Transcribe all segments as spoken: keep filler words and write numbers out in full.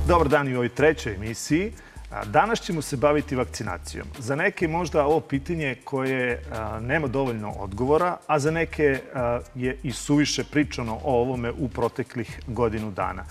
Dobar dan i u ovoj trećoj emisiji. Danas ćemo se baviti vakcinacijom. Za neke možda ovo pitanje koje nema dovoljno odgovora, a za neke je i suviše pričano o ovome u proteklih godinu dana.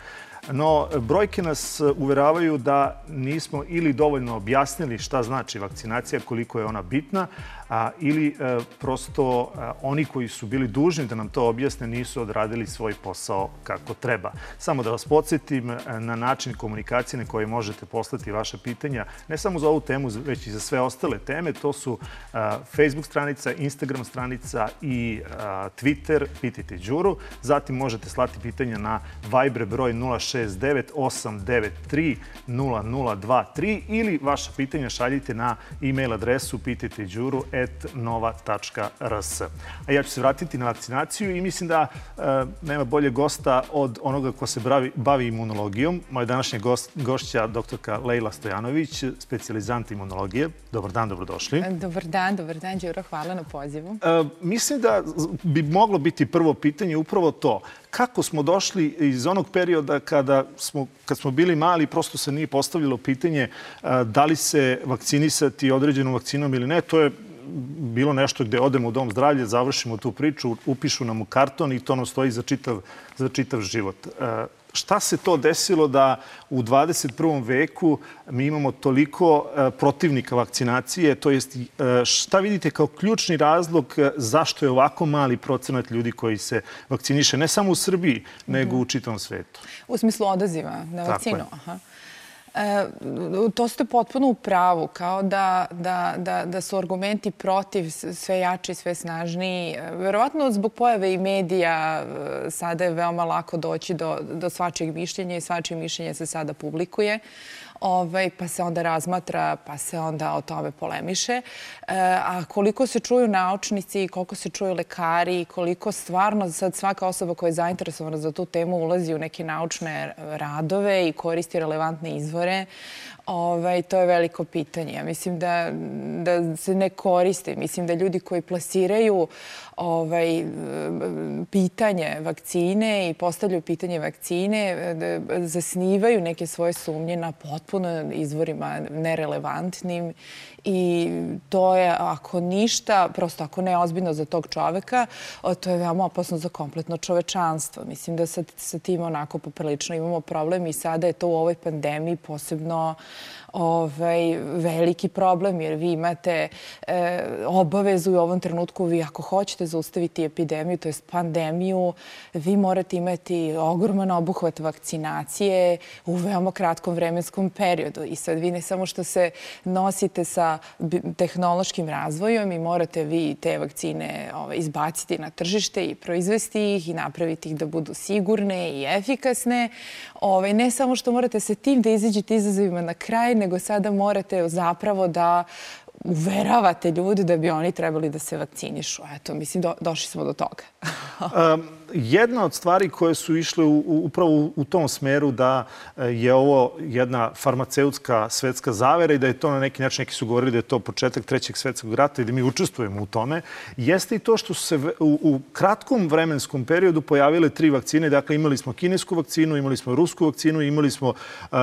No, brojke nas uveravaju da nismo ili dovoljno objasnili šta znači vakcinacija, koliko je ona bitna, a, ili a, prosto a, oni koji su bili dužni da nam to objasne nisu odradili svoj posao kako treba. Samo da vas podsjetim na način komunikacije na koje možete poslati vaše pitanja, ne samo za ovu temu, već i za sve ostale teme. To su a, Facebook stranica, Instagram stranica i a, Twitter, pitajte Đuru. Zatim možete slati pitanja na Viber broj nula šest devet osam devet tri nula nula dva tri ili vaša pitanja šaljite na e-mail adresu pitajte đuru et nova tačka r s. A ja ću se vratiti na vakcinaciju i mislim da e, nema bolje gosta od onoga ko se bavi, bavi imunologijom. Moja današnja gost, gošća, doktorka Lejla Stojanović, specijalizant imunologije. Dobar dan, dobrodošli. Dobar dan, dobar dan, Đuro, hvala na pozivu. E, mislim da bi moglo biti prvo pitanje upravo to. Kako smo došli iz onog perioda kada smo, kad smo bili mali, prosto se nije postavljalo pitanje da li se vakcinisati određenom vakcinom ili ne. To je bilo nešto gde odemo u dom zdravlja, završimo tu priču, upišu nam u karton i to nam stoji za čitav, za čitav život. Šta se to desilo da u dvadeset prvom veku mi imamo toliko protivnika vakcinacije? To jest, šta vidite kao ključni razlog zašto je ovako mali procenat ljudi koji se vakciniše, ne samo u Srbiji, nego u čitavom svetu? U smislu odaziva na vakcinu? Aha. E, to ste potpuno u pravu, kao da, da, da, da su argumenti protiv sve jači, sve snažniji. Verovatno zbog pojave i medija sada je veoma lako doći do, do svačijeg mišljenja i svačije mišljenje se sada publikuje. Ovaj, pa se onda razmatra, pa se onda o tome polemiše. E, a koliko se čuju naučnici, koliko se čuju lekari, koliko stvarno sad svaka osoba koja je zainteresovana za tu temu ulazi u neke naučne radove i koristi relevantne izvore, ovaj, to je veliko pitanje. Ja mislim da, da se ne koriste. Mislim da ljudi koji plasiraju ovaj, pitanje vakcine i postavljaju pitanje vakcine zasnivaju neke svoje sumnje na potpuno izvorima nerelevantnim i to je, ako ništa, prosto ako ne ozbiljno za tog čoveka, to je veoma opasno za kompletno čovečanstvo. Mislim da sa, sa tim onako poprilično imamo problem i sada je to u ovoj pandemiji posebno ovaj, veliki problem, jer vi imate e, obavezu u ovom trenutku, vi ako hoćete zaustaviti epidemiju, to jest pandemiju, vi morate imati ogroman obuhvat vakcinacije u veoma kratkom vremenskom periodu. I sad vi ne samo što se nosite sa tehnološkim razvojom i morate vi te vakcine ovaj, izbaciti na tržište i proizvesti ih i napraviti ih da budu sigurne i efikasne. Ovaj, ne samo što morate sa tim da izađete izazovima na kraj, nego sada morate zapravo da uveravate ljudi da bi oni trebali da se vakcinišu. Eto, mislim, do, došli smo do toga. um, jedna od stvari koje su išle u, u, upravo u, u tom smeru da je ovo jedna farmaceutska svetska zavera i da je to na neki način, neki su govorili da je to početak trećeg svetskog rata i da mi učestvujemo u tome, jeste i to što su se u, u kratkom vremenskom periodu pojavile tri vakcine. Dakle, imali smo kinesku vakcinu, imali smo rusku vakcinu, imali smo uh,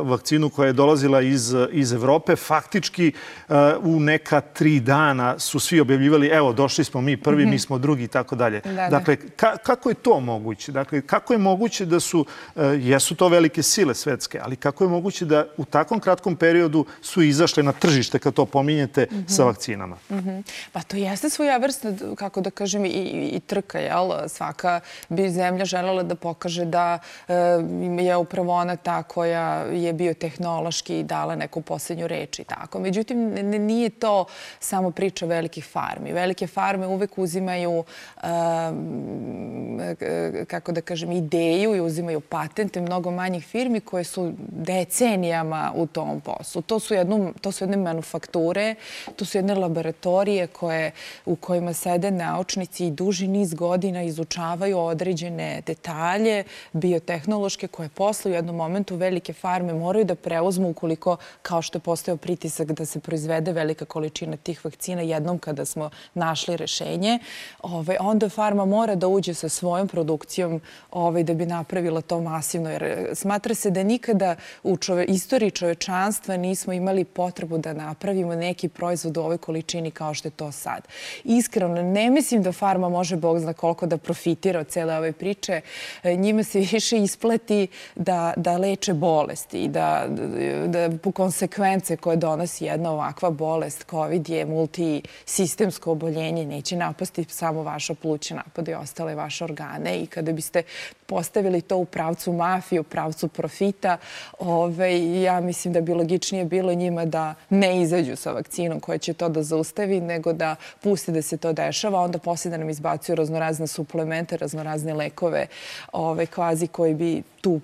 vakcinu koja je dolazila iz, iz Evrope. Faktički, uh, u neka tri dana su svi objavljivali, evo, došli smo mi prvi, mm-hmm. mi smo drugi i tako dalje. Dakle, ka, kako je to moguće? Dakle, kako je moguće da su, uh, jesu to velike sile svetske, ali kako je moguće da u takvom kratkom periodu su izašle na tržište, kad to pominjete, mm-hmm. sa vakcinama? Mm-hmm. Pa to jeste svoja vrsta, kako da kažem, i, i, i trka, jel? Svaka bi zemlja želela da pokaže da uh, je upravo ona ta koja je biotehnološki dala neku posljednju reč i tako. Međutim, ne, nije to samo priča velikih farmi. Velike farme uvek uzimaju, kako da kažem, ideju i uzimaju patente mnogo manjih firmi koje su decenijama u tom poslu. To su, jednu, to su jedne manufakture, to su jedne laboratorije koje, u kojima sede naučnici i duži niz godina izučavaju određene detalje biotehnološke koje posle u jednom momentu velike farme moraju da preuzmu ukoliko, kao što je postao pritisak da se proizvede velika količina tih vakcina jednom kada smo našli rešenje, ove, onda farma mora da uđe sa svojom produkcijom da bi napravila to masivno. Jer smatra se da nikada u istoriji čovečanstva nismo imali potrebu da napravimo neki proizvod u ovoj količini kao što je to sad. Iskreno, ne mislim da farma može, Bog zna koliko, da profitira od cele ove priče. Njima se više isplati da leče bolesti i da po konsekvence koje donosi jedna ovakva bolest, COVID je multisistemsko oboljenje, neće napasti samo vaša pluća, napada i ostale vaše organe. I kada biste postavili to u pravcu mafije, u pravcu profita, ja mislim da bi logičnije bilo njima da ne izađu sa vakcinom koja će to da zaustavi, nego da pusti da se to dešava, onda poslije da nam izbacuju raznorazne suplemente, raznorazne lekove, kvazi koji bi tu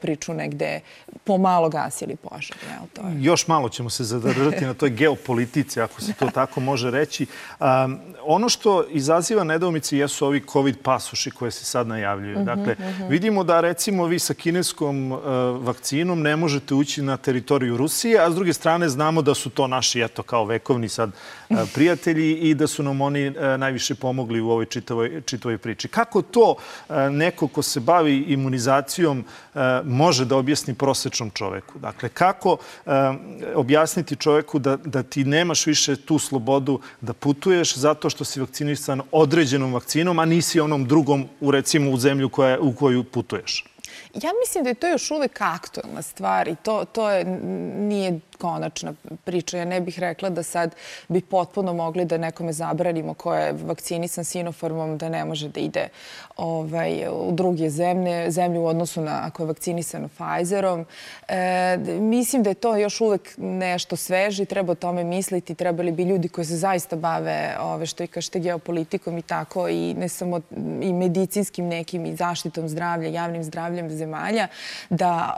priču negde pomalo gasili požar. Još malo ćemo se zadržati na toj geopolitici, ako se to tako može reći. Ono što izaziva nedoumice jesu ovi COVID pasoši koje se sad najavljuju. Dakle, vidimo da recimo vi sa kineskom vakcinom ne možete ući na teritoriju Rusije, a s druge strane znamo da su to naši, eto, kao vekovni sad prijatelji i da su nam oni najviše pomogli u ovoj čitavoj priči. Kako to neko ko se bavi imunizacijom može da objasni prosečnom čoveku? Dakle, kako objasniti čoveku da ti nemaš više tu slobodu da putuješ zato što si vakcinisan određenom vakcinom, a nisi onom drugom, recimo, u zemlju u koju putuješ? Ja mislim da je to još uvek aktuelna stvar i to nije konačna priča. Ja ne bih rekla da sad bi potpuno mogli da nekome zabranimo ko je vakcinisan Sinopharmom da ne može da ide u druge zemlje, zemlje u odnosu na ako je vakcinisan Pfizerom. Mislim da je to još uvek nešto sveže i treba o tome misliti. Trebali bi ljudi koji se zaista bave, što i kažete, geopolitikom i tako, i ne samo i medicinskim nekim i zaštitom zdravlja, javnim zdravljem zemalja, da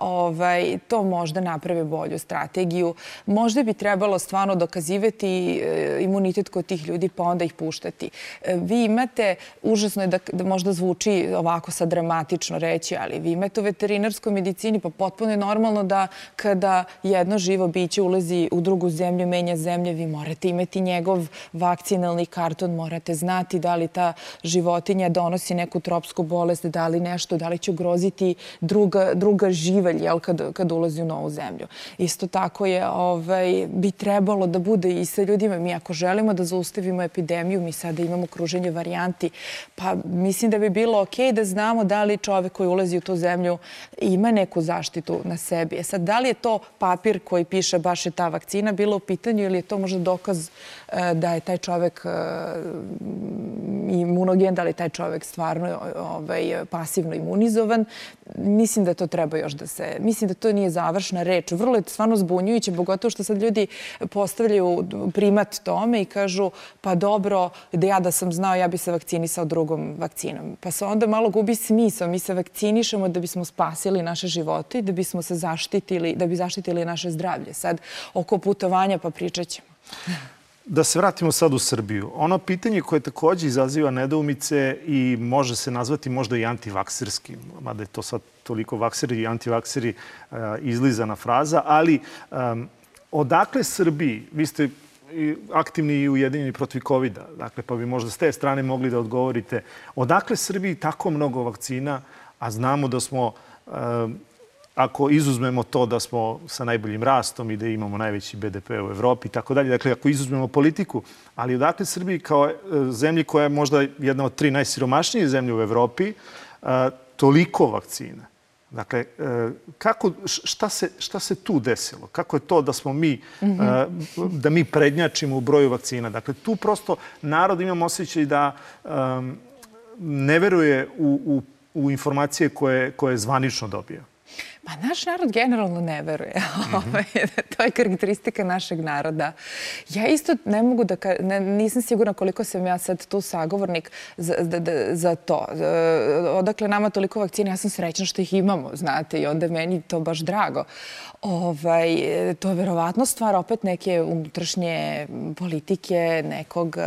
to možda naprave bolju strategiju. Možda bi trebalo stvarno dokazivati imunitet kod tih ljudi pa onda ih puštati. Vi imate, užasno je da možda zvuči ovako sad dramatično reći, ali vi imate u veterinarskoj medicini, pa potpuno je normalno da kada jedno živo biće ulazi u drugu zemlju, menja zemlje, vi morate imati njegov vakcinalni karton, morate znati da li ta životinja donosi neku tropsku bolest, da li nešto, da li će ugroziti druga živalj kada ulazi u novu zemlju. Isto tako je bi trebalo da bude i sa ljudima. Mi ako želimo da zaustavimo epidemiju, mi sada imamo kruženje varijanti, pa mislim da bi bilo okej da znamo da li čovek koji ulazi u tu zemlju ima neku zaštitu na sebi. Sad, da li je to papir koji piše baš je ta vakcina bila u pitanju ili je to možda dokaz da je taj čovek imunogen, da li je taj čovek stvarno pasivno imunizovan. Mislim da to treba još da se... Mislim da to nije završna reč. Vrlo je stvarno zbunjujuće, pogotovo što sad ljudi postavljaju primat tome i kažu pa dobro, da ja da sam znao, ja bi se vakcinisao drugom vakcinom. Pa se onda malo gubi smisao. Mi se vakcinišemo da bismo spasili naše živote i da bismo se zaštitili, da bi zaštitili naše zdravlje. Sad, oko putovanja pa pričat ćemo. Da se vratimo sad u Srbiju. Ono pitanje koje također izaziva nedoumice i može se nazvati možda i antivakserskim, mada je to sad toliko vakseri i antivakseri izlizana fraza, ali odakle Srbiji, vi ste aktivni i ujedinjeni protiv kovida, dakle, pa bi možda s te strane mogli da odgovorite, odakle Srbiji tako mnogo vakcina, a znamo da smo... Ako izuzmemo to da smo sa najboljim rastom i da imamo najveći be de pe u Evropi i tako dalje, dakle, ako izuzmemo politiku, ali odakle Srbiji kao zemlji koja je možda jedna od tri najsiromašnije zemlje u Evropi, toliko vakcina? Dakle, kako, šta se, šta se tu desilo? Kako je to da smo mi, da mi prednjačimo u broju vakcina? Dakle, tu prosto narod imam osjećaj da ne veruje u, u, u informacije koje, koje zvanično dobija. Pa naš narod generalno ne veruje. To je karakteristika našeg naroda. Ja isto ne mogu da... Nisam sigurna koliko sam ja sad tu sagovornik za to. Odakle nama toliko vakcina, ja sam srećna što ih imamo, znate, i onda meni to baš drago. To je verovatno stvar opet neke unutrašnje politike, nekog...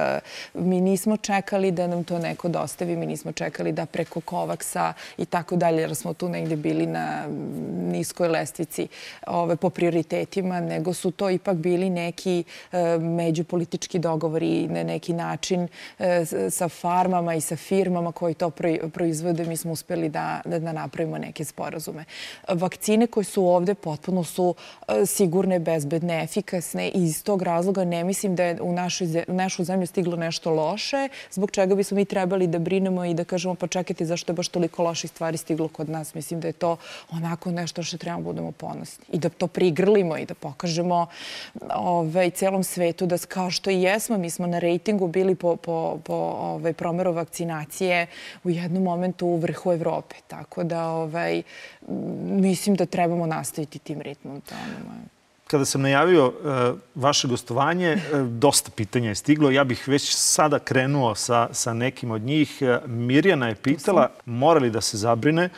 Mi nismo čekali da nam to neko dostavi, mi nismo čekali da preko Kovaksa i tako dalje, jer smo tu negdje bili na niskoj lestvici po prioritetima, nego su to ipak bili neki međupolitički dogovori na neki način sa farmama i sa firmama koji to proizvode. Mi smo uspeli da napravimo neke sporazume. Vakcine koje su ovde potpuno su sigurne, bezbedne, efikasne i iz tog razloga ne mislim da je u našu zemlju stiglo nešto loše, zbog čega bismo mi trebali da brinemo i da kažemo pa čekajte zašto je baš toliko loših stvari stiglo kod nas. Mislim da je to onako nešto što trebamo budemo ponosni i da to prigrlimo i da pokažemo celom svetu da kao što i jesmo, mi smo na rejtingu bili po promeru vakcinacije u jednom momentu u vrhu Evrope. Tako da mislim da trebamo nastaviti tim ritmom. Kada sam najavio vaše gostovanje, dosta pitanja je stiglo. Ja bih već sada krenuo sa nekim od njih. Mirjana je pitala, mora li da se zabrine,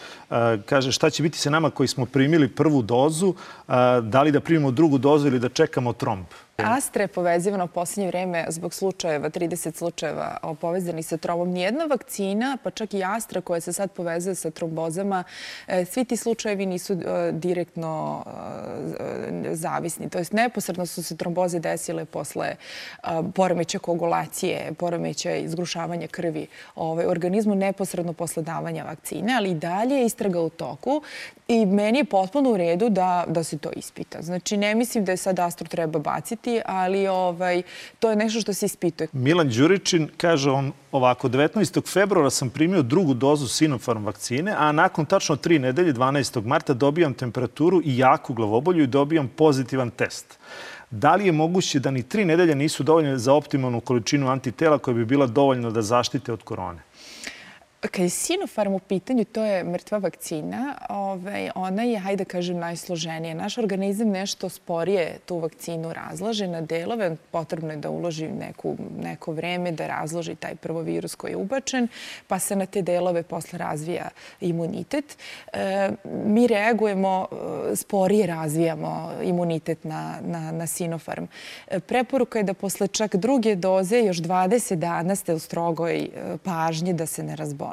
kaže šta će biti sa nama koji smo primili prvu dozu, da li da primimo drugu dozu ili da čekamo tromb? Astra je povezivana u posljednje vreme zbog slučajeva, trideset slučajeva povezanih sa trombom. Nijedna vakcina, pa čak i Astra koja se sad povezuje sa trombozama, svi ti slučajevi nisu direktno zavisni. To jest neposredno su se tromboze desile posle poremeća koagulacije, poremeća izgrušavanja krvi u organizmu neposredno posle davanja vakcine, ali i dalje je istraga u toku i meni je potpuno u redu da se to ispita. Znači, ne mislim da je sad Astru treba baciti, ali to je nešto što se ispituje. Milan Đuričin kaže on ovako, devetnaestog februara sam primio drugu dozu Sinopharm vakcine, a nakon tačno tri nedelje, dvanaestog marta, dobijam temperaturu i jaku glavobolju i dobijam pozitivan test. Da li je moguće da ni tri nedelje nisu dovoljne za optimalnu količinu antitela koja bi bila dovoljna da zaštite od korone? Kad je Sinopharm u pitanju, to je mrtva vakcina. Ona je, hajde da kažem, najsloženija. Naš organizam nešto sporije tu vakcinu razlaže na delove. Potrebno je da uloži neko vreme da razloži taj prvo virus koji je ubačen, pa se na te delove posle razvija imunitet. Mi reagujemo, sporije razvijamo imunitet na Sinopharm. Preporuka je da posle čak druge doze još dvadeset dana ste u strogoj pažnji da se ne razbolite.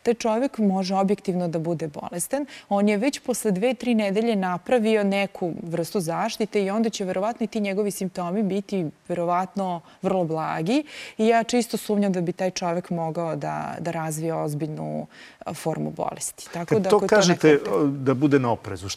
Taj čovjek može objektivno da bude bolestan. On je već posle dve, tri nedelje napravio neku vrstu zaštite i onda će verovatno i ti njegovi simptomi biti verovatno vrlo blagi i ja čisto sumnjam da bi taj čovjek mogao da razvije ozbiljnu formu bolesti. Kad to kažete da bude na oprezu,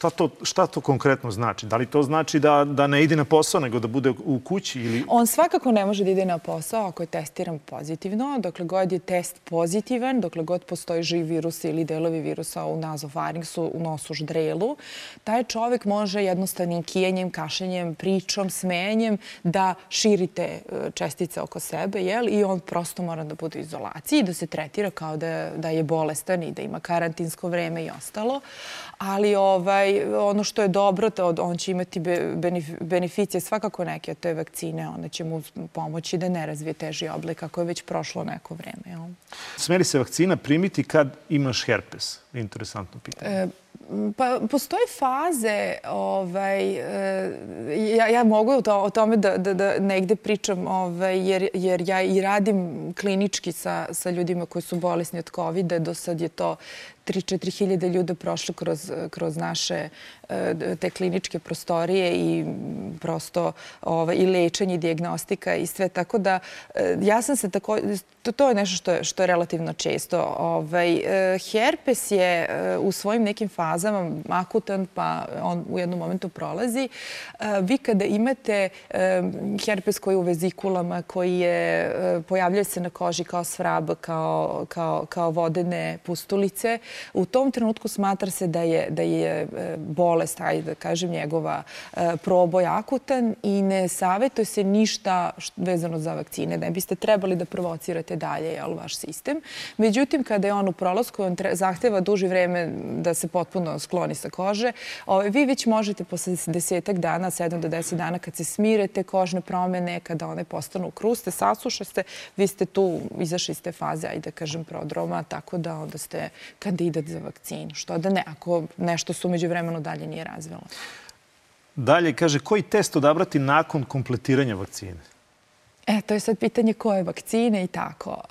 šta to konkretno znači? Da li to znači da ne ide na posao nego da bude u kući? On svakako ne može da ide na posao ako je testiran pozitivno. Dokle god je test pozitivan, dokle god postoji živ virus ili delovi virusa u nazofaringsu, u nosu, ždrelu, taj čovjek može jednostavnim kijenjem, kašljenjem, pričom, smenjem da širi te čestice oko sebe i on prosto mora da bude u izolaciji i da se tretira kao da je bolestan i da ima karantinsko vreme i ostalo. Ali ono što je dobro, on će imati beneficije svakako neke od te vakcine. Ona će mu pomoći da ne razvije teži oblik ako je već prošlo neko vreme. Sme li se vakcina primiti kad imaš herpes? Interesantno pitanje. Pa postoje faze, ja mogu o tome da negde pričam, jer ja i radim klinički sa ljudima koji su bolesni od kovida. Do sad je to tri do četiri hiljade ljuda prošlo kroz naše te kliničke prostorije i prosto i lečenje, i dijagnostika i sve. Tako da ja sam se tako, to je nešto što je relativno često. Herpes je u svojim nekim fazama akutan, pa on u jednom momentu prolazi. Vi kada imate herpes koji je u vezikulama, koji je pojavljaju se na koži kao svrab, kao vodene pustulice, u tom trenutku smatra se da je bolest, hajde da kažem, njegova proboj akutan i ne savjetuje se ništa vezano za vakcine. Ne biste trebali da provocirate dalje vaš sistem. Međutim, kada je on u prolasku, on zahteva duži vreme da se potpuno skloni sa kože. Vi već možete posle desetak dana, sedam do deset dana, kad se smirete kožne promene, kada one postanu kruste, sasušaste, vi ste tu, izašli iz te faze, ajde da kažem, prodroma, tako da onda ste kandidat za vakcinu. Što da ne, ako nešto su među vremenu dalje nije razvilo. Dalje, kaže, koji test odabrati nakon kompletiranja vakcine? E, to je sad pitanje koje vakcine i tako.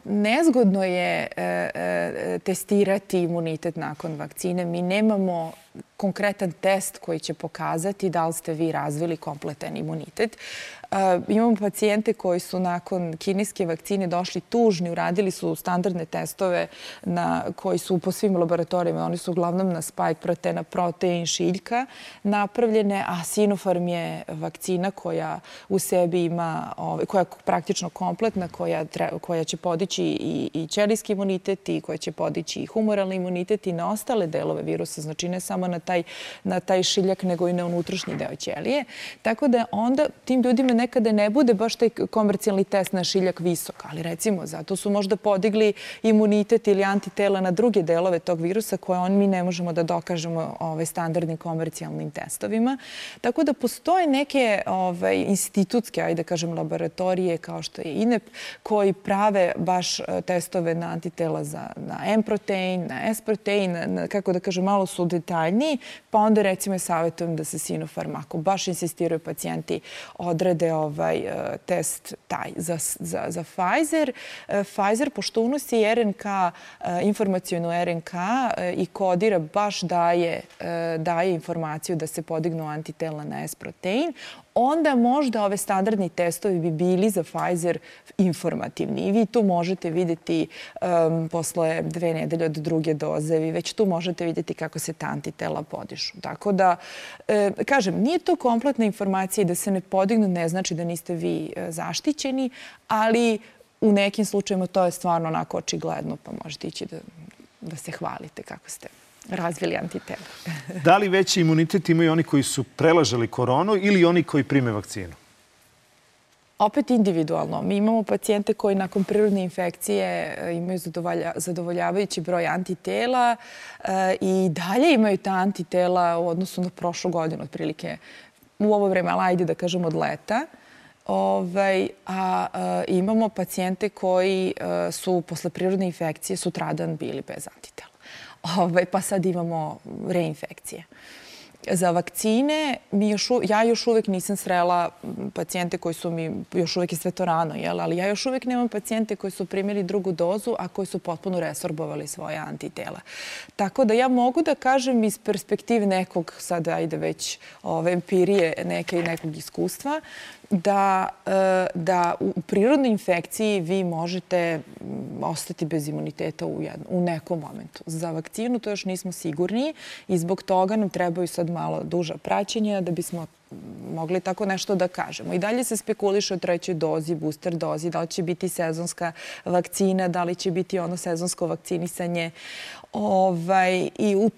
Nezgodno je testirati imunitet nakon vakcine. Mi nemamo konkretan test koji će pokazati da li ste vi razvili kompletan imunitet. Imamo pacijente koji su nakon kineske vakcine došli tužni, uradili su standardne testove koji su po svim laboratorijama, oni su uglavnom na spike proteina, protein šiljka napravljene, a Sinopharm je vakcina koja u sebi ima, koja je praktično kompletna, koja će podići i ćelijski imunitet i koja će podići i humoralni imunitet i na ostale delove virusa, znači ne samo na taj šiljak, nego i na unutrašnji deo ćelije. Tako da onda tim ljudima nekada ne bude baš taj komercijalni test na šiljak visok, ali recimo zato su možda podigli imunitet ili antitela na druge delove tog virusa koje on mi ne možemo da dokažemo standardnim komercijalnim testovima. Tako da postoje neke institutske, ajde da kažem, laboratorije kao što je I N E P koji prave baš testove na antitela na M protein, na S protein, kako da kažem, malo su detaljniji, pa onda recimo je savjetujem da se Sinopharm, ako baš insistiraju pacijenti, odrede ovaj test taj za Pfizer. Pfizer, pošto unosi R N K, informacijonu R N K i kodira, baš daje informaciju da se podignu antitela na S protein, onda možda ove standardni testovi bi bili za Pfizer informativni. I vi tu možete vidjeti posle dve nedelje od druge doze, vi već tu možete vidjeti kako se ta antitela podižu. Tako da, kažem, nije to kompletna informacija i da se ne podignu ne znači da niste vi zaštićeni, ali u nekim slučajima to je stvarno onako očigledno, pa možete ići da se hvalite kako ste razvili antitela. Da li veći imunitet imaju oni koji su prelažali koronu ili oni koji prime vakcinu? Opet individualno. Mi imamo pacijente koji nakon prirodne infekcije imaju zadovoljavajući broj antitela i dalje imaju ta antitela u odnosu na prošlu godinu, otprilike u ovo vreme, ali ajde da kažem od leta. A imamo pacijente koji su posle prirodne infekcije sutradan bili bez antitela. Pa sad imamo reinfekcije. Za vakcine, ja još uvek nisam srela pacijente koji su mi, još uvek je sve to rano, ali ja još uvek nemam pacijente koji su primili drugu dozu, a koji su potpuno resorbovali svoje antitela. Tako da ja mogu da kažem iz perspektive nekog, sad ajde već empirije neke i nekog iskustva, da u prirodnoj infekciji vi možete ostati bez imuniteta u nekom momentu. Za vakcinu to još nismo sigurni i zbog toga nam trebaju sad malo duža praćenja da bismo mogli tako nešto da kažemo. I dalje se spekuliše o trećoj dozi, booster dozi, da li će biti sezonska vakcina, da li će biti ono sezonsko vakcinisanje. I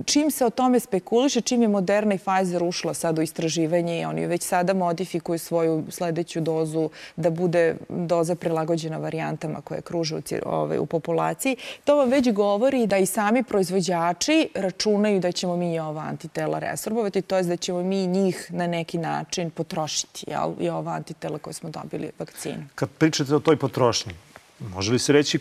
čim se o tome spekuliše, čim je Moderna i Pfizer ušla sad u istraživanje i oni već sada modifikuju svoju sledeću dozu da bude doza prilagođena varijantama koje kruže u populaciji, to vam već govori da i sami proizvođači računaju da ćemo mi i ova antitela resorbovati, to je da ćemo mi njih na neki način potrošiti i ova antitela koje smo dobili vakcinu. Kad pričate o toj potrošnji, može li se reći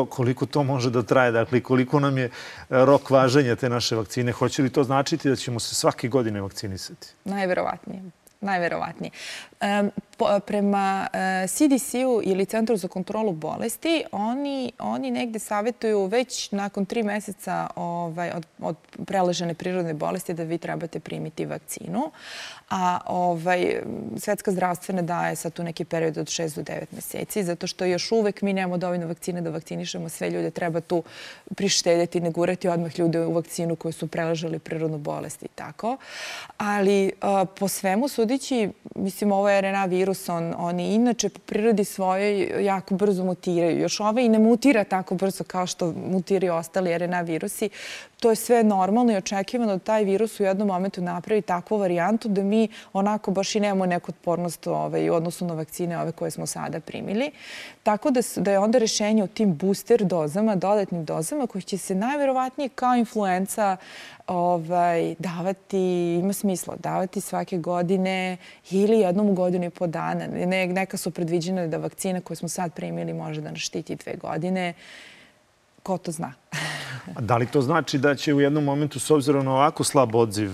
koliko to može da traje? Dakle, koliko nam je rok važenja te naše vakcine? Hoće li to značiti da ćemo se svake godine vakcinisati? Najverovatnije. Najverovatnije. Prema C D C-u ili Centru za kontrolu bolesti, oni negde savjetuju već nakon tri meseca od preležene prirodne bolesti da vi trebate primiti vakcinu. A Svetska zdravstvena daje sad tu neki period od šest do devet meseci, zato što još uvek mi nemamo dovoljno vakcine da vakcinišemo sve ljude. Treba tu prištedjeti, ne gurati odmah ljude u vakcinu koji su preležali prirodnu bolest i tako. Ali po svemu sudići, mislim, ovo je R N A virus, oni inače po prirodi svojoj jako brzo mutiraju. Još ovaj i ne mutira tako brzo kao što mutiraju ostali R N A virusi. To je sve normalno i očekivano da taj virus u jednom momentu napravi takvu varijantu da mi onako baš i nemamo neku otpornost u odnosu na vakcine ove koje smo sada primili. Tako da je onda rešenje u tim booster dozama, dodatnim dozama, koji će se najverovatnije kao influenca davati, ima smisla, davati svake godine ili jednom u godinu i po dana. Neka su predviđene da vakcina koju smo sad primili može da nas štiti dve godine. Ko to zna? Da li to znači da će u jednom momentu, s obzirom na ovako slab odziv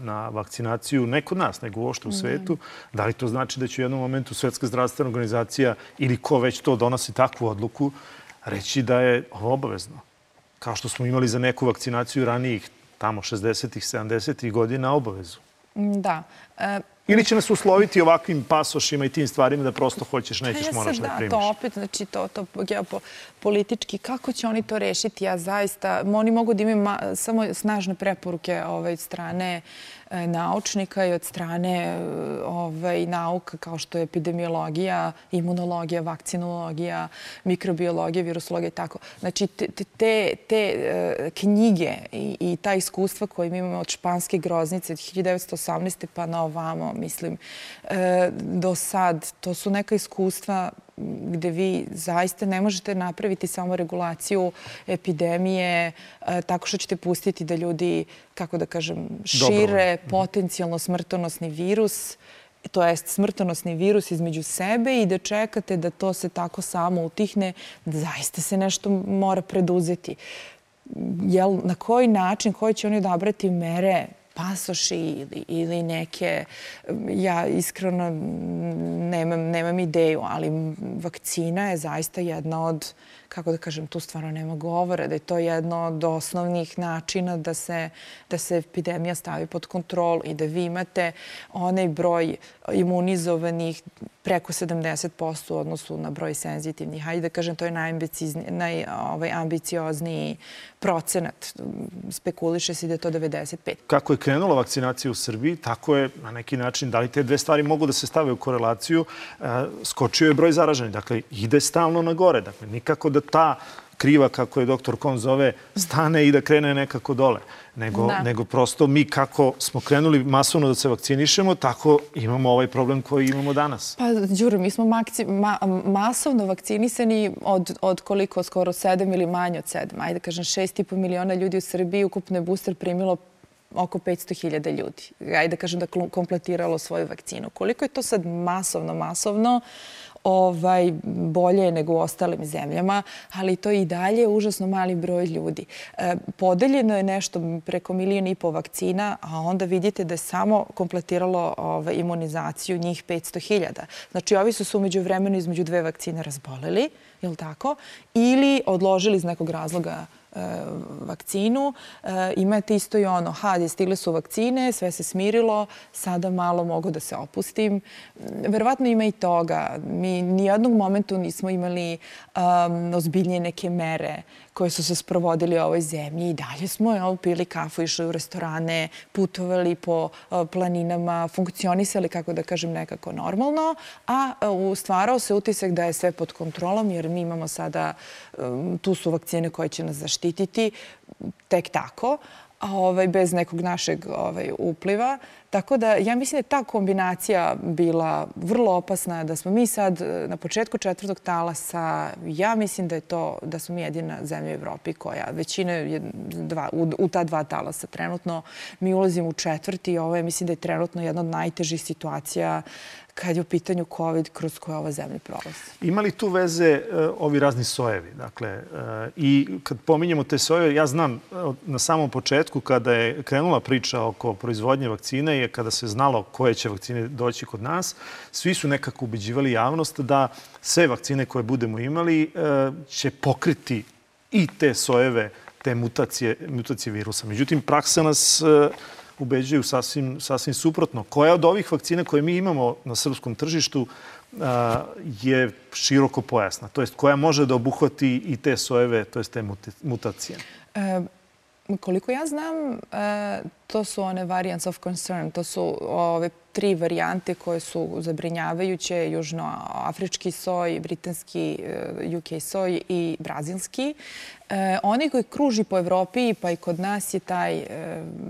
na vakcinaciju, ne kod nas, nego uopšte u svetu, da li to znači da će u jednom momentu Svetska zdravstvena organizacija ili ko već to donosi takvu odluku, reći da je ovo obavezno? Kao što smo imali za neku vakcinaciju ranijih tamo šezdesetih, sedamdesetih godina obavezu. Da. Ili će nas usloviti ovakvim pasošima i tim stvarima da prosto hoćeš, nećeš, moraš da primiš. Da, to opet, znači to, to geopolitički, kako će oni to rešiti? Ja zaista, oni mogu da imaju samo snažne preporuke od strane naučnika i od strane nauka kao što je epidemiologija, imunologija, vakcinologija, mikrobiologija, virusologija i tako. Znači, te knjige i ta iskustva koje mi imamo od španske groznice od hiljadu devetsto osamnaeste pa na ovamo, mislim, do sad, to su neka iskustva gde vi zaista ne možete napraviti samo regulaciju epidemije tako što ćete pustiti da ljudi, kako da kažem, šire potencijalno smrtonosni virus, to jest smrtonosni virus između sebe i da čekate da to se tako samo utihne, da zaista se nešto mora preduzeti. Jel, na koji način, koji će oni odabrati mere, pasoši ili neke, ja iskreno nemam ideju, ali vakcina je zaista jedna od, kako da kažem, tu stvarno nema govora, da je to jedno od osnovnih načina da se epidemija stavi pod kontrolu i da vi imate onaj broj imunizovanih preko sedamdeset posto u odnosu na broj senzitivnih. Hajde da kažem, to je najambiciozniji procenat. Spekuliše se da je to devedeset pet. Kako je krenula vakcinacija u Srbiji, tako je na neki način, da li te dve stvari mogu da se stave u korelaciju, skočio je broj zaraženih. Dakle, ide stalno na gore. Dakle, nikako da ta kriva, kako je doktor Kon zove, stane i da krene nekako dole. Nego prosto mi kako smo krenuli masovno da se vakcinišemo, tako imamo ovaj problem koji imamo danas. Pa, Đuro, mi smo masovno vakcinisani od koliko, skoro sedam ili manje od sedam. Ajde, kažem, šest i po miliona ljudi u Srbiji, ukupno je booster primilo oko petsto hiljada ljudi. Ajde, kažem, da kompletiralo svoju vakcinu. Koliko je to sad masovno, masovno, bolje je nego u ostalim zemljama, ali to je i dalje užasno mali broj ljudi. Podeljeno je nešto preko milijon i po vakcina, a onda vidite da je samo kompletiralo imunizaciju njih petsto hiljada. Znači, ovi su se umeđu vremenu između dve vakcine razboleli, je li tako? Ili odložili iz nekog razloga vakcinu. Imate isto i ono, ha, stigle su vakcine, sve se smirilo, sada malo mogu da se opustim. Verovatno ima i toga. Mi nijednog momentu nismo imali ozbiljnije neke mere koje su se sprovodili u ovoj zemlji i dalje smo pili kafu, išli u restorane, putovali po planinama, funkcionisali, kako da kažem, nekako normalno, a stvarao se utisak da je sve pod kontrolom jer mi imamo sada, tu su vakcine koje će nas zaštititi tek tako, bez nekog našeg upliva. Tako da ja mislim da je ta kombinacija bila vrlo opasna, da smo mi sad na početku četvrtog talasa, ja mislim da je to, da smo mi jedina zemlja u Evropi koja, većina je u ta dva talasa trenutno, mi ulazimo u četvrti i ovo je, mislim da je trenutno jedna od najtežih situacija kad je u pitanju COVID kroz koje ova zemlja prolazi. Ima li tu veze ovi razni sojevi? Dakle, i kad pominjemo te sojeve, ja znam na samom početku kada je krenula priča oko proizvodnje vakcine i kada se znalo koje će vakcine doći kod nas, svi su nekako ubeđivali javnost da sve vakcine koje budemo imali će pokriti i te sojeve, te mutacije virusa. Međutim, praksa nas ubeđuju sasvim suprotno. Koja od ovih vakcina koje mi imamo na srpskom tržištu je široko pojasna? To jest, koja može da obuhvati i te sojeve, to jest te mutacije? Koliko ja znam, to su one variants of concern. To su ove tri varijante koje su zabrinjavajuće. Južnoafrički soj, britanski U K soj i brazilski. Oni koji kruži po Evropi, pa i kod nas je taj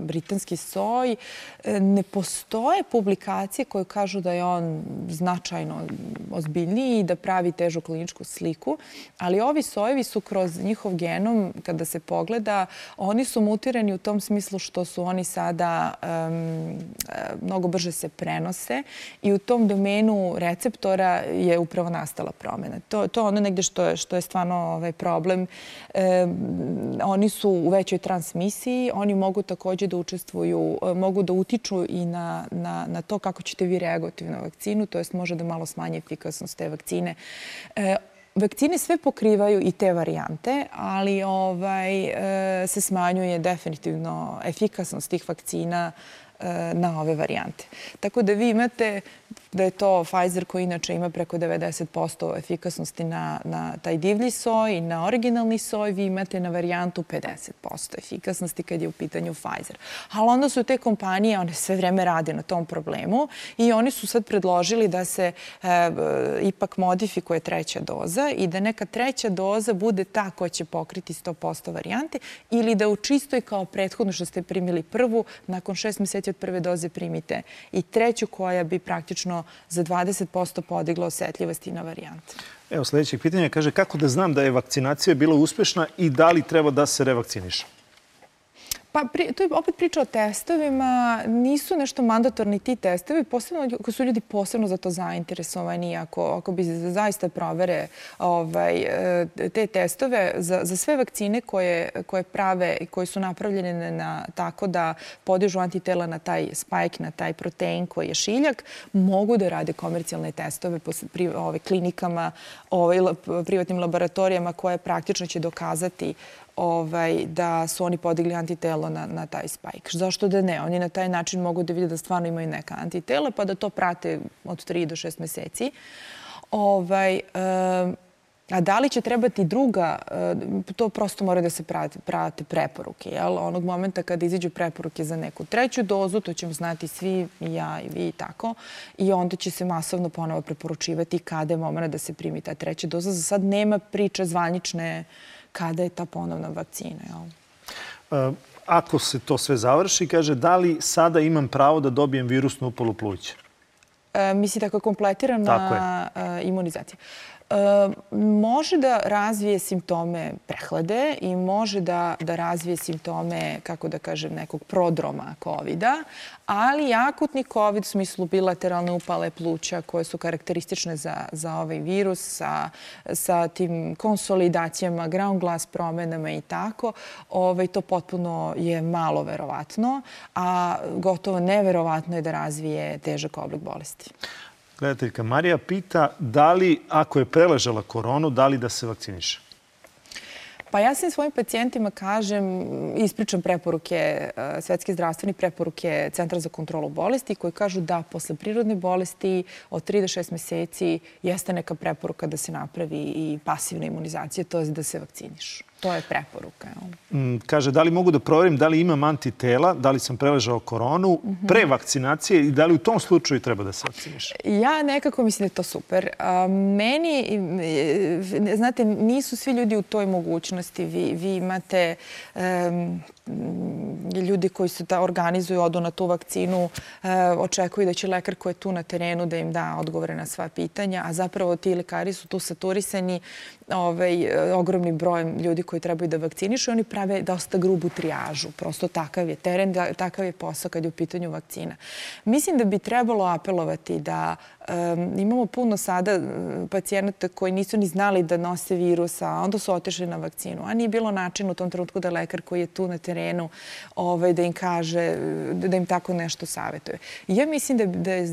britanski soj. Ne postoje publikacije koje kažu da je on značajno ozbiljniji i da pravi težu kliničku sliku, ali ovi sojevi su kroz njihov genom, kada se pogleda, oni su mutirani u tom smislu što su oni sada mnogo brže se prenose i u tom domenu receptora je upravo nastala promjena. To je ono negde što je stvarno problem. Oni su u većoj transmisiji, oni mogu također da učestvuju, mogu da utiču i na to kako ćete vi reagovati na vakcinu, to jest može da malo smanje efikasnost te vakcine. vakcine sve pokrivaju i te varijante, ali ovaj, se smanjuje definitivno efikasnost tih vakcina na ove varijante. Tako da vi imate da je to Pfizer koji inače ima preko devedeset posto efikasnosti na, na taj divlji soj i na originalni soj, vi imate na varijantu pedeset posto efikasnosti kad je u pitanju Pfizer. Ali onda su te kompanije, one sve vreme rade na tom problemu i oni su sad predložili da se e, ipak modifikuje treća doza i da neka treća doza bude ta koja će pokriti sto posto varijante ili da u čistoj kao prethodno što ste primili prvu, nakon šest meseci od prve doze primite i treću koja bi praktično za dvadeset posto podigla osetljivosti na varijante. Evo, sljedeće pitanje kaže kako da znam da je vakcinacija bila uspešna i da li treba da se revakciniše? Pa, to je opet priča o testovima. Nisu nešto mandatorni ti testovi, posebno ako su ljudi posebno za to zainteresovani, ako, ako bi zaista provere ovaj, te testove za, za sve vakcine koje, koje prave i koje su napravljene na, tako da podižu antitela na taj spike, na taj protein koji je šiljak, mogu da rade komercijalne testove po pri, ovaj, klinikama, ovaj, privatnim laboratorijama koje praktično će dokazati Ovaj, da su oni podigli antitelo na, na taj spike. Zašto da ne? Oni na taj način mogu da vide da stvarno imaju neka antitela, pa da to prate od tri do šest meseci. Ovaj, um, a da li će trebati druga, to prosto mora da se prate, prate preporuke. Jel? Onog momenta kada izađu preporuke za neku treću dozu, to ćemo znati svi, i ja i vi i tako, i onda će se masovno ponovo preporučivati kada je moment da se primi ta treća doza. Za sad nema priče zvanične kada je ta ponovna vakcina. Jel? Ako se to sve završi, kaže, da li sada imam pravo da dobijem virusnu upalu pluća? E, mislite ako je kompletirana imunizacija? Može da razvije simptome prehlade i može da, da razvije simptome, kako da kažem, nekog prodroma kovida, ali akutni kovid u smislu bilateralne upale pluća koje su karakteristične za, za ovaj virus sa, sa tim konsolidacijama, ground glass promenama i tako, ovaj, to potpuno je malo verovatno, a gotovo neverovatno je da razvije težak oblik bolesti. Gledateljka Marija pita da li, ako je preležala koronu, da li da se vakciniše? Pa ja svim svojim pacijentima kažem, ispričam preporuke, svetske zdravstvene preporuke Centra za kontrolu bolesti koji kažu da posle prirodne bolesti od tri do šest meseci jeste neka preporuka da se napravi i pasivna imunizacija, to je da se vakcinišu. To je preporuka. Kaže, da li mogu da proverim da li imam antitela, da li sam preležao koronu pre vakcinacije i da li u tom slučaju treba da se vakciniše? Ja nekako mislim da je to super. Meni, znate, nisu svi ljudi u toj mogućnosti. Vi, vi imate um, ljudi koji se da organizuju, odu na tu vakcinu, uh, očekuju da će lekar koji je tu na terenu da im da odgovore na sva pitanja, a zapravo ti lekari su tu saturisani ovaj, ogromnim brojem ljudi koji trebaju da vakcinišu i oni prave dosta grubu trijažu. Prosto takav je teren, takav je posao kad je u pitanju vakcina. Mislim da bi trebalo apelovati da um, imamo puno sada pacijenata koji nisu ni znali da nose virus, a onda su otišli na vakcinu. A nije bilo način u tom trenutku da lekar koji je tu na terenu ovaj, da im kaže, da im tako nešto savjetuje. I ja mislim da, da je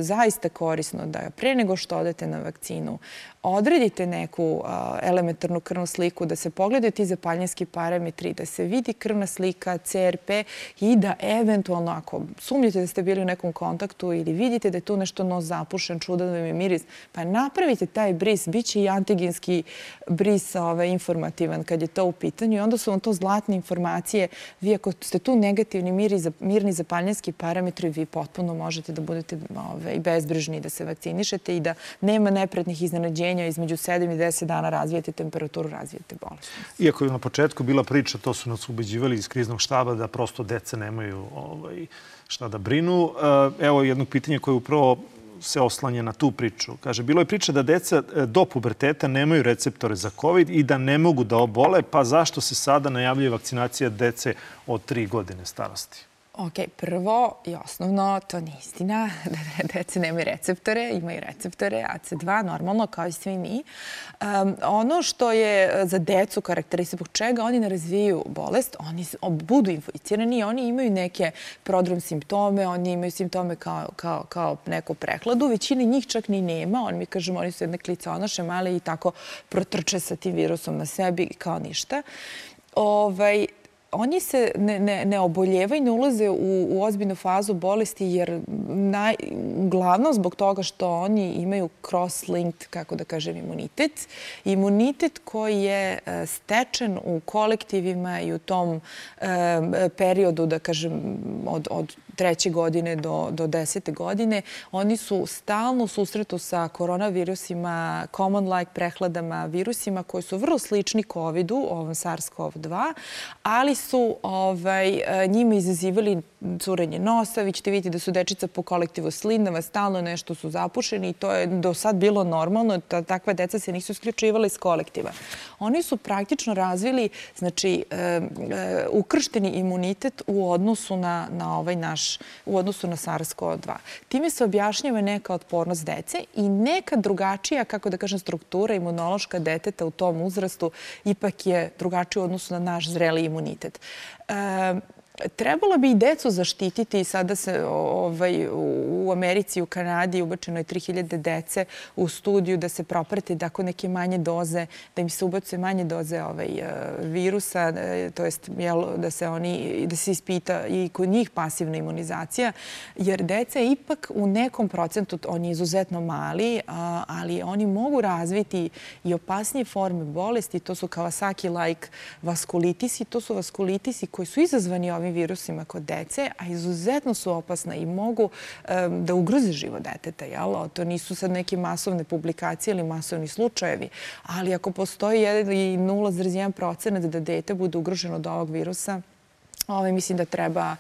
zaista korisno da pre nego što odete na vakcinu odredite neku uh, elementarnu krvnu sliku, da se pogledaju ti zapaljinski parametri, da se vidi krvna slika, C R P i da eventualno, ako sumnjate da ste bili u nekom kontaktu ili vidite da je tu nešto nos zapušen, čudan vam je miris, pa napravite taj bris, bit će i antigenski bris ovaj, informativan kad je to u pitanju i onda su vam to zlatne informacije. Vi ako ste tu negativni miri, mirni zapaljinski parametri, vi potpuno možete da budete ovaj, bezbrižni da se vakcinišete i da nema nepretnih iznenađenja između sedam i deset dana razvijete temperaturu, razvijete bolest. Iako je na početku bila priča, to su nas ubeđivali iz kriznog štaba da prosto deca nemaju ovaj, šta da brinu. Evo jedno pitanje koje upravo se oslanja na tu priču. Kaže, bilo je priča da deca do puberteta nemaju receptore za COVID i da ne mogu da obole, pa zašto se sada najavljuje vakcinacija dece od tri godine starosti? Ok, prvo i osnovno, to nije istina da dece nemaju receptore, imaju receptore A C dva, normalno, kao i svi mi. Um, ono što je za decu karakteristično, zbog čega oni ne razvijaju bolest, oni budu inficirani i oni imaju neke prodrom simptome, oni imaju simptome kao, kao, kao neku prehladu. Većina njih čak ni nema, oni mi kažemo, oni su jedne kliconoše male i tako protrče sa tim virusom na sebi kao ništa. Ovaj, Oni se ne, ne, ne oboljevaju, ne ulaze u, u ozbiljnu fazu bolesti jer naj, uglavnom zbog toga što oni imaju cross-linked, kako da kažem, imunitet. Imunitet koji je stečen u kolektivima i u tom e, periodu, da kažem, od, od treće godine do, do desete godine. Oni su stalno u susretu sa koronavirusima, common-like prehladama, virusima koji su vrlo slični kovidu, ovom SARS-CoV dva, ali su ovaj, njima izazivali curenje nosa. Vi ćete vidjeti da su dečica po kolektivu slindava, stalno nešto su zapušeni i to je do sad bilo normalno. Takva deca se nisu isključivala iz kolektiva. Oni su praktično razvili, znači, ukršteni imunitet u odnosu na, na ovaj naš u odnosu na SARS-CoV dva. Time se objašnjava neka otpornost dece i neka drugačija, kako da kažem, struktura imunološka deteta u tom uzrastu ipak je drugačija u odnosu na naš zreli imunitet. E, Trebalo bi i decu zaštititi. Sada se ovaj, u Americi i u Kanadi ubačeno je tri hiljade dece u studiju da se proprate tako neke manje doze, da im se ubacuje manje doze ovaj, virusa, to jest da se, oni, da se ispita i kod njih pasivna imunizacija, jer deca je ipak u nekom procentu, on je izuzetno mali, ali oni mogu razviti i opasnije forme bolesti. To su Kawasaki-like vaskulitisi. To su vaskulitisi koji su izazvani ovim virusima kod dece, a izuzetno su opasna i mogu um, da ugroze život deteta. Jel? To nisu sad neke masovne publikacije ili masovni slučajevi, ali ako postoji nula zarez jedan procenat da dete bude ugroženo od ovog virusa, Ove, mislim da treba e,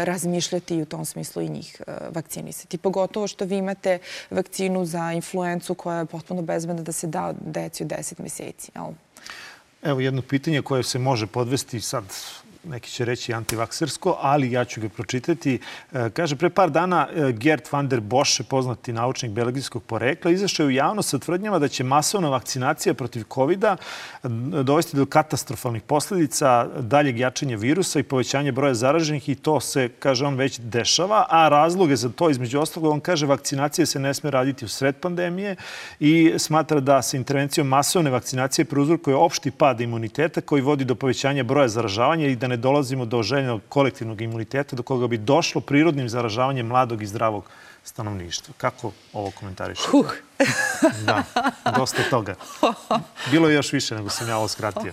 razmišljati i u tom smislu i njih e, vakcinisati. Pogotovo što vi imate vakcinu za influencu koja je potpuno bezbedna da se da deci u deset meseci. Jel? Evo jedno pitanje koje se može podvesti sad, neki će reći antivaksersko, ali ja ću ga pročitati. Kaže, pre par dana Gert van der Bosch, poznati naučnik belgijskog porekla, izašao je u javnost sa tvrdnjama da će masovna vakcinacija protiv kovida dovesti do katastrofalnih posljedica, daljeg jačanja virusa i povećanja broja zaraženih i to se, kaže on, već dešava, a razloge za to, između ostalog, on kaže, vakcinacija se ne sme raditi u sred pandemije i smatra da se intervencijom masovne vakcinacije prouzrokuje opšti pad imuniteta koji vodi do povećanja broja zaražavanja i da ne dolazimo do željenog kolektivnog imuniteta do koga bi došlo prirodnim zaražavanjem mladog i zdravog stanovništva. Kako ovo komentarišete? Uh. Da, dosta toga. Bilo je još više nego sam ja ovo skratio.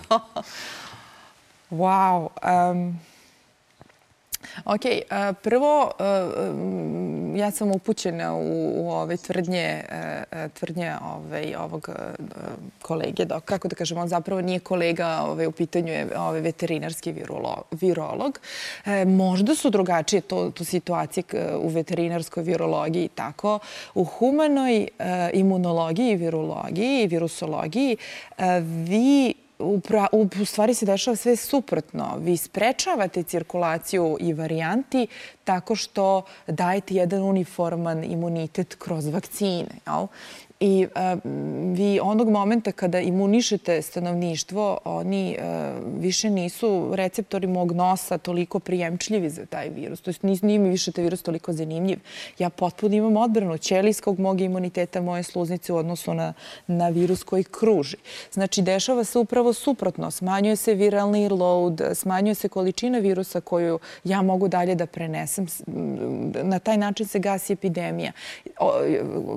Wow. Um... Ok, prvo, ja sam upućena u, u ove tvrdnje, tvrdnje ove, ovog kolege. Dok, kako da kažem, on zapravo nije kolega, ove, u pitanju je ove, veterinarski virolog. virolog. Možda su drugačije to, to situacije u veterinarskoj virologiji i tako. U humanoj imunologiji, virologiji i virusologiji vi U, pra, u stvari se dešava sve suprotno. Vi sprečavate cirkulaciju i varijanti tako što dajete jedan uniforman imunitet kroz vakcine. Jel? I uh, vi onog momenta kada imunišete stanovništvo, oni uh, više nisu receptori mog nosa toliko prijemčljivi za taj virus. To jest nije mi više taj virus toliko zanimljiv. Ja potpuno imam odbranu ćelijskog mog imuniteta, moje sluznice u odnosu na, na virus koji kruži. Znači, dešava se upravo suprotno. Smanjuje se viralni load, smanjuje se količina virusa koju ja mogu dalje da prenesem. Na taj način se gasi epidemija. O,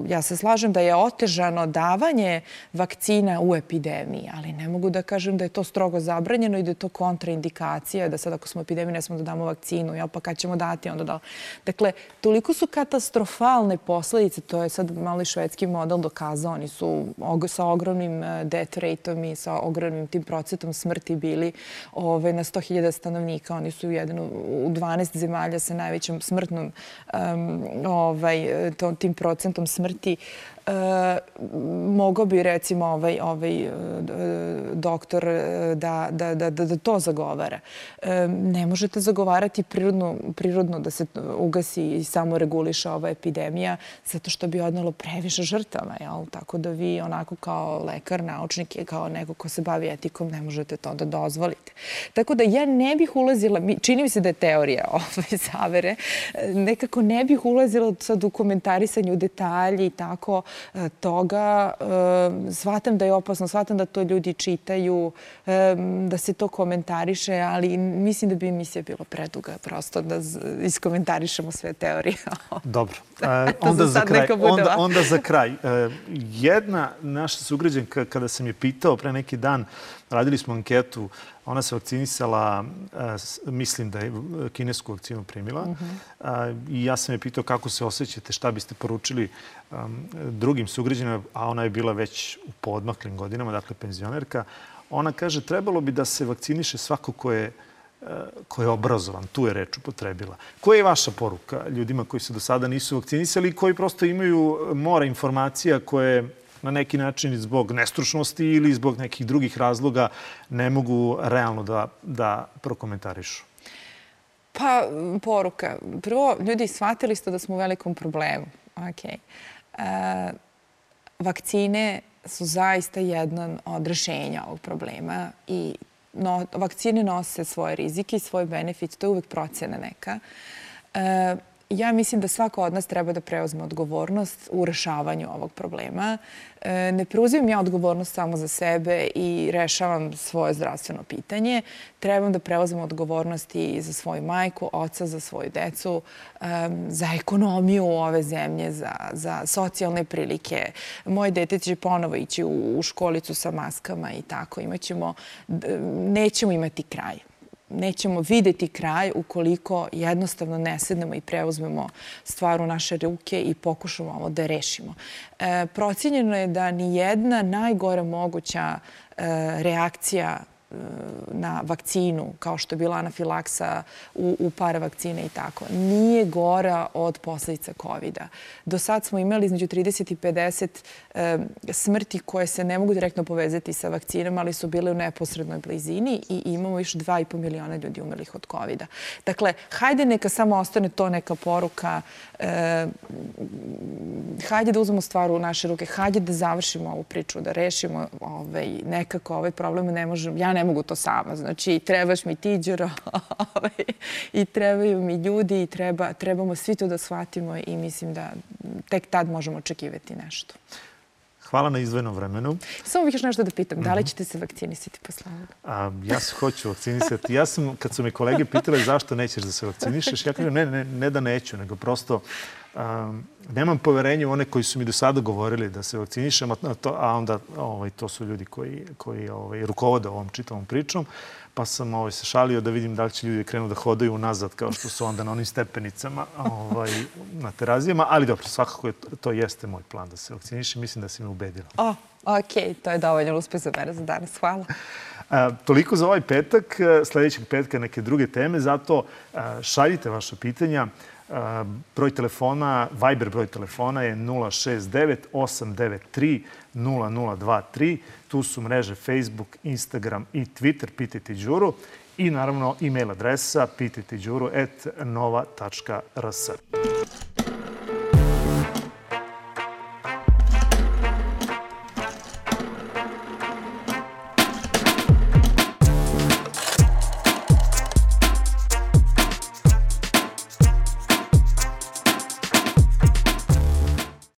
ja se slažem da je otežano davanje vakcina u epidemiji, ali ne mogu da kažem da je to strogo zabranjeno i da je to kontraindikacija, da sad ako smo u epidemiji ne smo da damo vakcinu, jel pa kad ćemo dati onda da... Dakle, toliko su katastrofalne posljedice, to je sad malo i švedski model dokazao, oni su sa ogromnim death rate-om i sa ogromnim tim procentom smrti bili ove, na sto hiljada stanovnika. Oni su jedan u dvanaest zemalja sa najvećim smrtnom um, ovaj, to, tim procentom smrti. mogao bi recimo ovaj, ovaj doktor da, da, da, da to zagovara. Ne možete zagovarati prirodno, prirodno da se ugasi i samo reguliše ova epidemija zato što bi odnelo previše žrtava. Jel? Tako da vi onako kao lekar, naučnik i kao neko ko se bavi etikom ne možete to da dozvolite. Tako da ja ne bih ulazila, čini mi se da je teorija ove zavere, nekako ne bih ulazila sad u komentarisanju detalji i tako toga. Shvatam da je opasno, shvatam da to ljudi čitaju, da se to komentariše, ali mislim da bi emisija bila preduga prosto da iskomentarišemo sve teorije. Dobro. Onda za kraj. Onda, onda za kraj. Jedna naša sugrađanka, kada sam je pitao pre neki dan, radili smo anketu, ona se vakcinisala, mislim da je kinesku vakcinu primila. I ja sam je pitao kako se osjećate, šta biste poručili drugim sugrađanima, a ona je bila već u poodmaklim godinama, dakle penzionerka. Ona kaže, trebalo bi da se vakciniše svako ko je ko je obrazovan, tu je reč upotrebila. Koja je vaša poruka ljudima koji se do sada nisu vakcinisali i koji prosto imaju mora informacija koje na neki način zbog nestručnosti ili zbog nekih drugih razloga ne mogu realno da, da prokomentarišu? Pa, poruka. Prvo, ljudi, shvatili ste da smo u velikom problemu. Okay. E, vakcine su zaista jedan od rešenja ovog problema i no, vakcine nose svoje rizike i svoj benefit. To je uvek procena neka. E, ja mislim da svako od nas treba da preuzme odgovornost u rešavanju ovog problema. E, ne preuzimam ja odgovornost samo za sebe i rešavam svoje zdravstveno pitanje. Trebam da preuzmem odgovornost i za svoju majku, oca, za svoju decu, um, za ekonomiju ove zemlje, za, za socijalne prilike. Moje dete će ponovo ići u, u školicu sa maskama i tako. Imaćemo, nećemo imati kraj. Nećemo videti kraj ukoliko jednostavno ne sednemo i preuzmemo stvar u naše ruke i pokušamo ovo da rešimo. E, procijenjeno je da ni jedna najgora moguća e, reakcija na vakcinu, kao što je bila anafilaksa u, u par vakcine i tako, nije gora od posledica kovida. Do sad smo imali između trideset i pedeset e, smrti koje se ne mogu direktno povezati sa vakcinama, ali su bile u neposrednoj blizini i imamo još dva i po miliona ljudi umrlih od kovida. Dakle, hajde neka samo ostane to neka poruka. E, hajde da uzmemo stvar u naše ruke, hajde da završimo ovu priču, da rešimo ovaj, nekako ovaj problem. Ne možem, ja ne mogu to sama. Znači, trebaš mi ti, Đuro, i trebaju mi ljudi i treba, trebamo svi to da shvatimo i mislim da tek tad možemo očekivati nešto. Hvala na izdvojenom vremenu. Samo bih još nešto da pitam. Da li ćete se vakcinisati posle ovoga? A, ja se hoću vakcinisati. Ja sam, kad su me kolege pitale zašto nećeš da se vakcinišeš, ja kažem ne, ne, ne da neću, nego prosto um, nemam poverenja u one koji su mi do sada govorili da se vakcinišem, a, to, a onda ovaj, to su ljudi koji, koji ovaj, rukovode ovom čitavom pričom. Pa sam ovaj, se šalio da vidim da li će ljudi krenu da hodaju unazad kao što su onda na onim stepenicama ovaj, na terazijama. Ali dobro, svakako je, to jeste moj plan da se vakcinišem. Mislim da si me ubedila. O, okej, to je dovoljno uspeh za mene za danas. Hvala. A, toliko za ovaj petak. Sljedećeg petka neke druge teme. Zato a, šaljite vaše pitanja. A, broj telefona, Viber broj telefona je nula šest devet osam devet tri nula nula dva tri. Tu su mreže Facebook, Instagram i Twitter. Pitajte Đuru. I naravno e-mail adresa pitajte đuru at nova tačka r s.